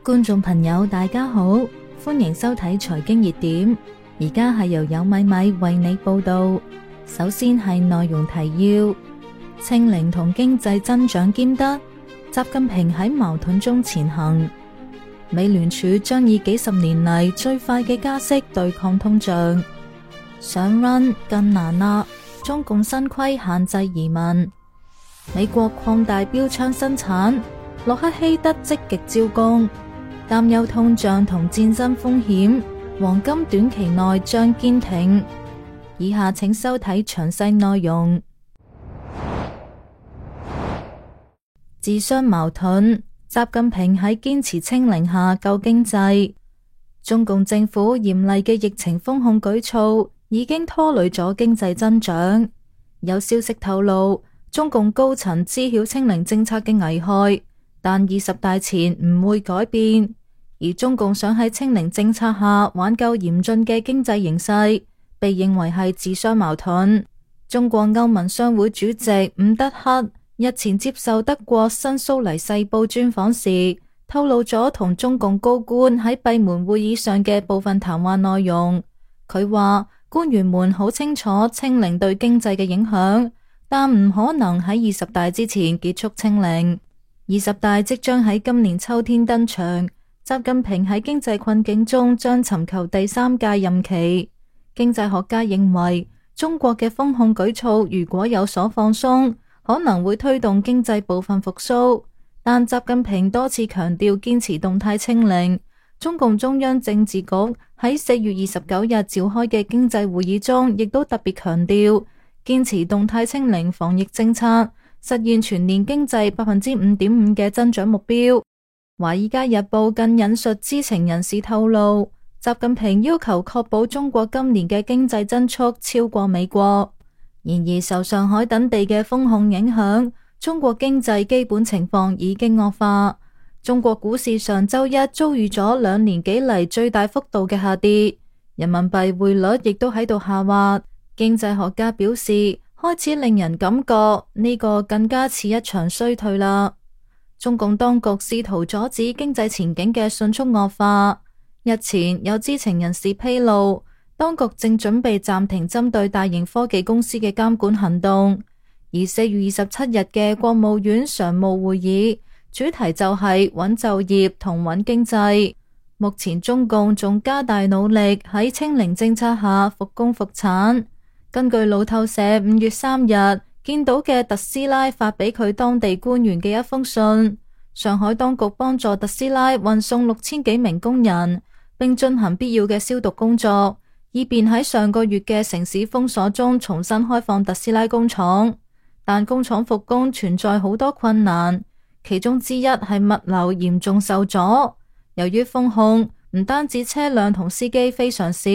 觀眾朋友大家好，歡迎收睇財經熱點，而家係由有米米為你報道。首先係內容提要：清零同經濟增長兼得，習近平喺矛盾中前行。美聯儲將以幾十年嚟最快嘅加息對抗通脹。想 run 更難啦，中共新規限制移民。美國擴大標槍生產，洛克希德積極招工。擔憂通脹同戰爭風險，黃金短期內將堅挺。以下請收睇詳細內容。自相矛盾，習近平喺堅持清零下救經濟。中共政府嚴厲嘅疫情封控舉措已經拖累咗經濟增長。有消息透露，中共高層知曉清零政策嘅危害，但20大前唔會改變。而中共想喺清零政策下挽救嚴峻嘅經濟形勢，被認為係自相矛盾。中國歐盟商會主席伍德克日前接受德國新蘇黎世報專訪時，透露咗同中共高官喺閉門會議上嘅部分談話內容。佢話官員們好清楚清零對經濟嘅影響，但唔可能喺20大之前結束清零。20大即將喺今年秋天登場。習近平喺經濟困境中將尋求第3屆任期。經濟學家認為，中國嘅封控舉措如果有所放鬆，可能會推動經濟部分復甦。但習近平多次強調堅持動態清零。中共中央政治局喺4月29日召開嘅經濟會議中，亦都特別強調堅持動態清零防疫政策，實現全年經濟5.5%嘅增長目標。《華爾街日報》更引述知情人士透露，習近平要求確保中國今年嘅經濟增速超過美國。然而受上海等地嘅封控影響，中國經濟基本情況已經惡化。中國股市上周一遭遇咗2年幾嚟最大幅度嘅下跌，人民幣匯率亦都喺度下滑。經濟學家表示，開始令人感覺呢個更加似一場衰退啦。中共當局試圖阻止經濟前景嘅迅速惡化。日前有知情人士披露，當局正準備暫停針對大型科技公司嘅監管行動。而4月27日嘅國務院常務會議主題就係穩就業同穩經濟。目前中共仲加大努力喺清零政策下復工復產。根據路透社5月3日見到嘅特斯拉發俾佢當地官員嘅一封信，上海當局幫助特斯拉運送6000幾名工人，並進行必要嘅消毒工作，以便喺上個月嘅城市封鎖中重新開放特斯拉工廠。但工廠復工存在好多困難，其中之一係物流嚴重受阻。由於封控，唔單止車輛同司機非常少，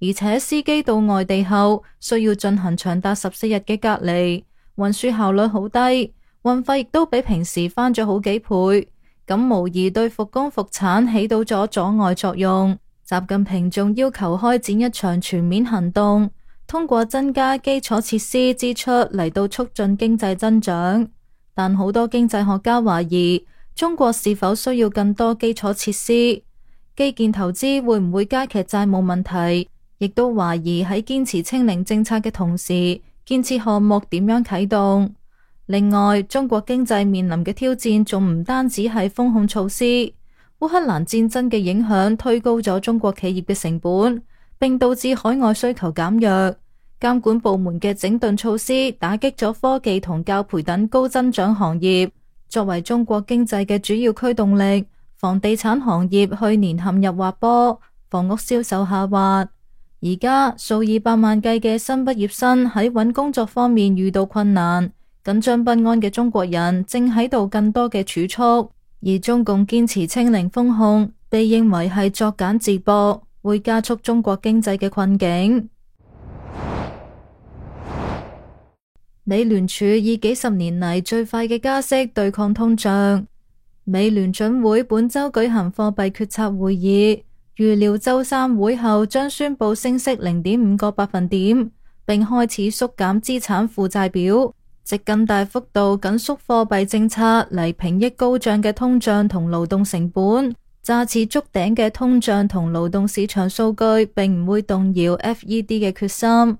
而且司機到外地後需要進行長達14日嘅隔離，運輸效率好低，運費亦都比平時翻咗好幾倍，咁無疑對復工復產起到咗阻礙作用。習近平仲要求開展一場全面行動，通過增加基礎設施支出嚟到促進經濟增長。但好多經濟學家懷疑，中國是否需要更多基礎設施？基建投資會唔會加劇債務問題？亦都懷疑喺堅持清零政策嘅同時，建設項目點樣啟動？另外，中國經濟面臨嘅挑戰仲唔單止係封控措施，烏克蘭戰爭嘅影響推高咗中國企業嘅成本，並導致海外需求減弱。監管部門嘅整頓措施打擊咗科技同教培等高增長行業。作為中國經濟嘅主要驅動力，房地產行業去年陷入滑坡，房屋銷售下滑。而家數以百萬計嘅新畢業生喺揾工作方面遇到困難，緊張不安嘅中國人正喺度更多嘅儲蓄，而中共堅持清零封控，被認為係作繭自縛，會加速中國經濟嘅困境。美聯儲以幾十年嚟最快嘅加息對抗通脹。美聯準會本周舉行貨幣決策會議，預料周三會後將宣布升息0.5個百分點，並開始縮減資產負債表，藉更大幅度緊縮貨幣政策嚟平抑高漲嘅通脹同勞動成本。乍次觸頂嘅通脹同勞動市場數據並唔會動搖 FED 嘅決心。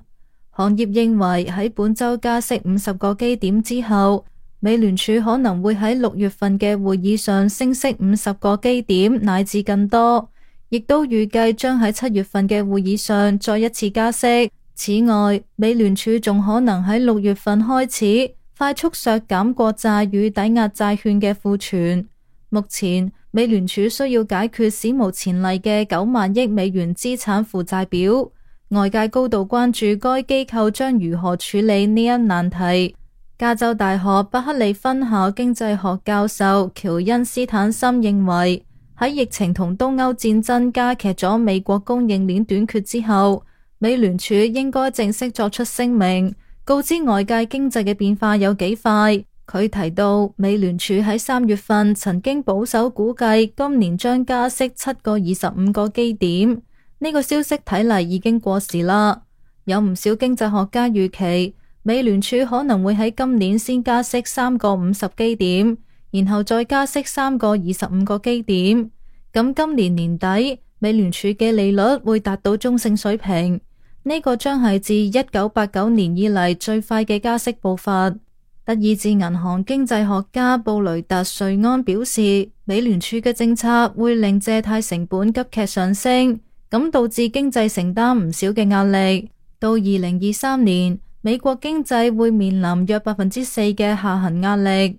行業認為喺本周加息50個基點之後，美聯儲可能會喺6月份嘅會議上升息50個基點乃至更多，亦都預計將喺7月份嘅會議上再一次加息。此外，美聯儲仲可能喺6月份開始快速削減國債與抵押債券嘅庫存。目前，美聯儲需要解決史無前例嘅9萬億美元資產負債表，外界高度關注該機構將如何處理呢一難題。加州大學伯克利分校經濟學教授喬恩斯坦森認為，喺疫情同東歐戰爭加劇咗美國供應鏈短缺之後，美聯儲應該正式作出聲明，告知外界經濟嘅變化有幾快。佢提到，美聯儲喺3月份曾經保守估計今年將加息7個25個基點，呢個消息睇嚟已經過時啦。有唔少經濟學家預期，美聯儲可能會喺今年先加息3個50基點，然後再加息3個25個基點。咁今年年底，美聯儲嘅利率會達到中性水平，呢個將係自1989年以嚟最快嘅加息步伐。德意志銀行經濟學家布雷特瑞安表示，美聯儲嘅政策會令借貸成本急劇上升，咁導致經濟承擔唔少嘅壓力。到2023年，美國經濟會面臨約4%嘅下行壓力，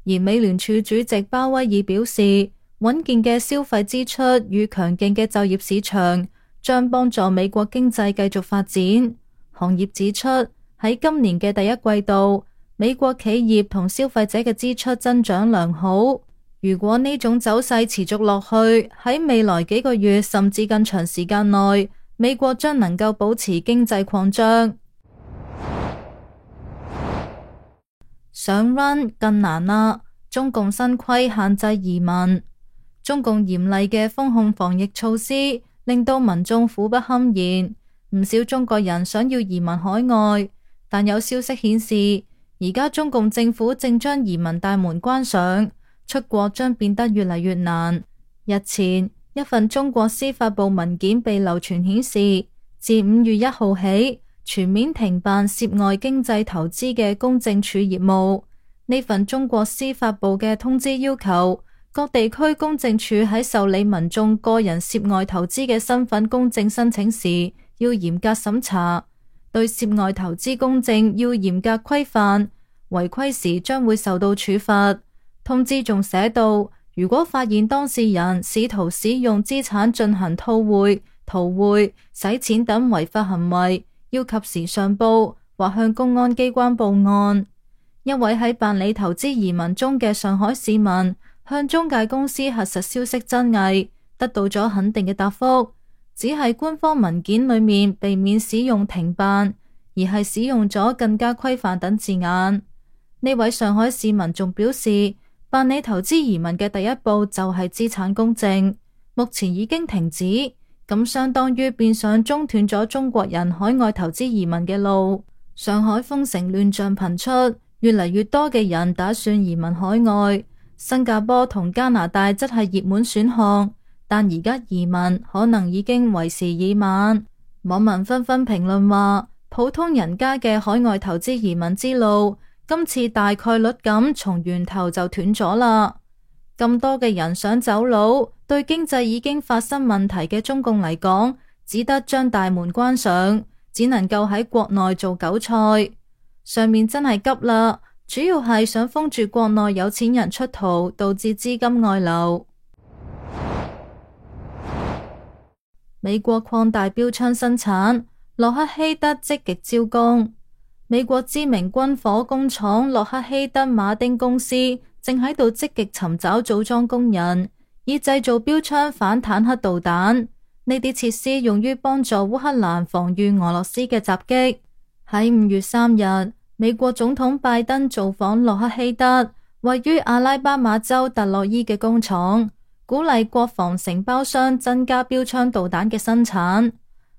而美聯儲主席鮑威爾表示，穩健嘅消費支出與強勁嘅就業市場將幫助美國經濟繼續發展。行業指出，喺今年嘅第一季度，美國企業同消費者嘅支出增長良好。如果呢種走勢持續落去，喺未來幾個月甚至更長時間內，美國將能夠保持經濟擴張。想 run 更難啦！中共新規限制移民，中共嚴厲嘅封控防疫措施令到民眾苦不堪言，唔少中國人想要移民海外，但有消息顯示，而家中共政府正將移民大門關上，出國將變得越嚟越難。日前，一份中國司法部文件被流傳顯示，自5月1號起，全面停辦涉外經濟投資嘅公證處業務。呢份中國司法部嘅通知要求，各地區公證處喺受理民眾個人涉外投資嘅身份公證申請時，要嚴格審查，對涉外投資公證要嚴格規範，違規時將會受到處罰。通知仲寫到，如果發現當事人試圖使用資產進行套匯、逃匯、洗錢等違法行為，要及時上報或向公安機關報案。一位喺辦理投資移民中嘅上海市民向中介公司核實消息真偽，得到咗肯定嘅答覆，只係官方文件裏面避免使用停辦，而係使用咗更加規範等字眼。呢位上海市民仲表示，辦理投資移民嘅第一步就係資產公證，目前已經停止，咁相當於變相中斷咗中國人海外投資移民嘅路。上海封城亂象頻出，越嚟越多嘅人打算移民海外，新加坡同加拿大則係熱門選項，但而家移民可能已經為時已晚。網民紛紛評論話，普通人家嘅海外投資移民之路，今次大概率咁從源頭就斷咗啦。咁多嘅人想走佬，對經濟已經發生問題嘅中共嚟講，只得將大門關上，只能夠喺國內做韭菜。上面真係急啦，主要係想封住國內有錢人出逃，導致資金外流。美國擴大標槍生產，洛克希德積極招工。美國知名軍火工廠洛克希德馬丁公司正喺度積極尋找組裝工人，以製造標槍反坦克導彈。呢啲設施用於幫助烏克蘭防禦俄羅斯嘅襲擊。喺5月3日，美國總統拜登造訪洛克希德位於阿拉巴馬州特洛伊嘅工廠，鼓勵國防承包商增加標槍導彈嘅生產。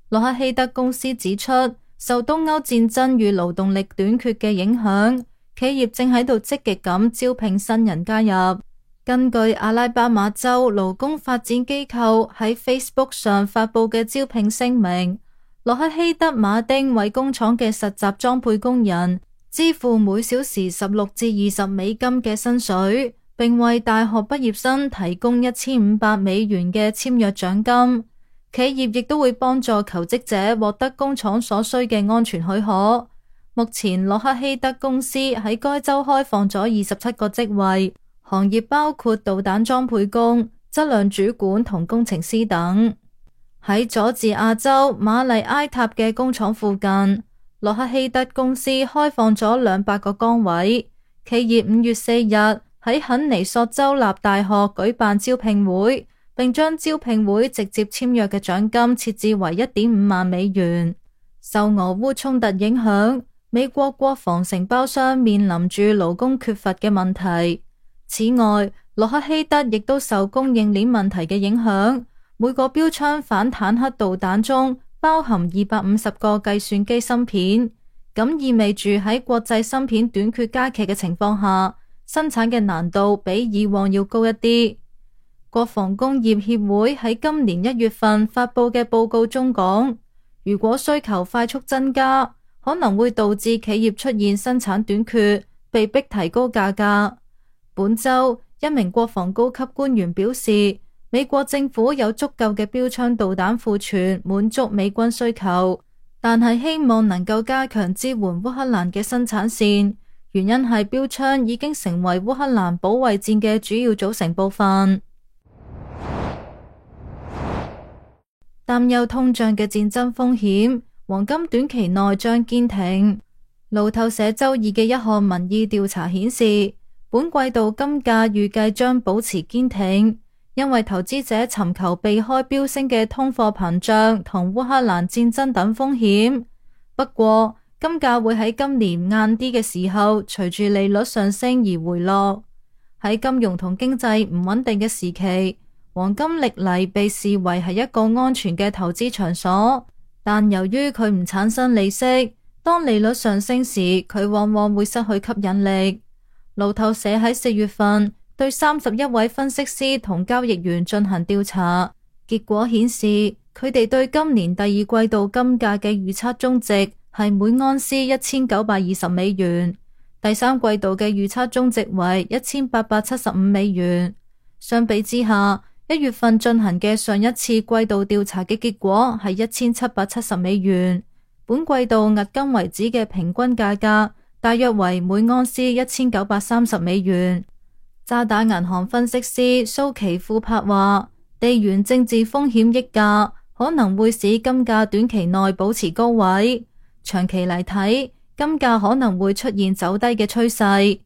洛克希德公司指出，受東歐戰爭與勞動力短缺嘅影響，企業正喺度積極咁招聘新人加入。根據阿拉巴馬州勞工發展機構喺 Facebook 上發佈嘅招聘聲明，洛克希德馬丁為工廠嘅實習裝配工人支付每小時16至20美金嘅薪水，並為大學畢業生提供1500美元嘅簽約獎金。企業亦都會幫助求職者獲得工廠所需嘅安全許可。目前洛克希德公司喺該州開放咗27個職位，行業包括導彈裝配工、質量主管同工程師等。喺佐治亞州馬麗埃塔嘅工廠附近，洛克希德公司開放咗200個崗位。企業5月4日喺肯尼索州立大學舉辦招聘會，並將招聘會直接簽約嘅獎金設置為1.5萬美元。受俄烏衝突影響，美國國防承包商面臨住勞工缺乏嘅問題。此外，洛克希德亦都受供應鏈問題嘅影響，每個標槍反坦克導彈中包含250個計算機芯片，咁意味住喺國際芯片短缺加劇嘅情況下，生產嘅難度比以往要高一啲。國防工業協會喺今年1月份發佈嘅報告中講，如果需求快速增加，可能會導致企業出現生產短缺，被迫提高價格。本周，一名國防高級官員表示，美國政府有足夠嘅標槍導彈庫存滿足美軍需求，但係希望能夠加強支援烏克蘭嘅生產線，原因係標槍已經成為烏克蘭保衛戰嘅主要組成部分。擔憂通脹嘅戰爭風險，黃金短期內將堅挺。路透社周二嘅一項民意調查顯示，本季度金價預計將保持堅挺，因為投資者尋求避開飆升嘅通貨膨脹同烏克蘭戰爭等風險。不過，金價會喺今年晏啲嘅時候，隨住利率上升而回落。喺金融同經濟唔穩定嘅時期，黃金歷嚟被視為係一個安全嘅投資場所，但由於佢唔產生利息，當利率上升時，佢往往會失去吸引力。路透社喺4月份對31位分析師同交易員進行調查，結果顯示佢哋對今年第二季度金價嘅預測中值係每盎司1920美元，第三季度嘅預測中值為1875美元。相比之下，1月份進行嘅上一次季度調查嘅結果係1770美元，本季度迄今為止嘅平均價格大約為每盎司1930美元。渣打銀行分析師蘇奇庫柏話，地緣政治風險溢價可能會使金價短期內保持高位，長期嚟睇，金價可能會出現走低嘅趨勢。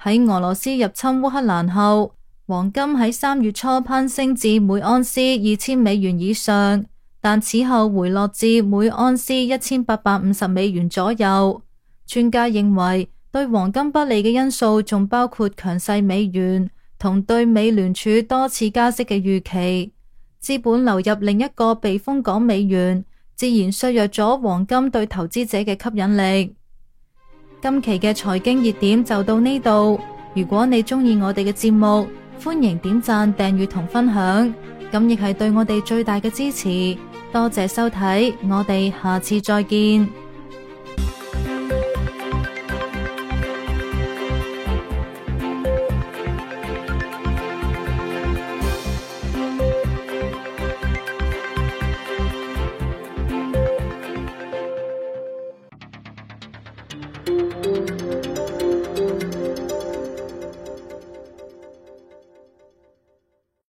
喺俄羅斯入侵烏克蘭後，黃金喺3月初攀升至每盎司2000美元以上，但此後回落至每盎司1850美元左右。專家認為，對黃金不利嘅因素仲包括強勢美元同對美聯儲多次加息嘅預期。資本流入另一個避風港美元，自然削弱咗黃金對投資者嘅吸引力。今期嘅財經熱點就到呢度。如果你鍾意我哋嘅節目，歡迎點讚、訂閱同分享，咁亦係對我哋最大嘅支持。多謝收睇，我哋下次再見。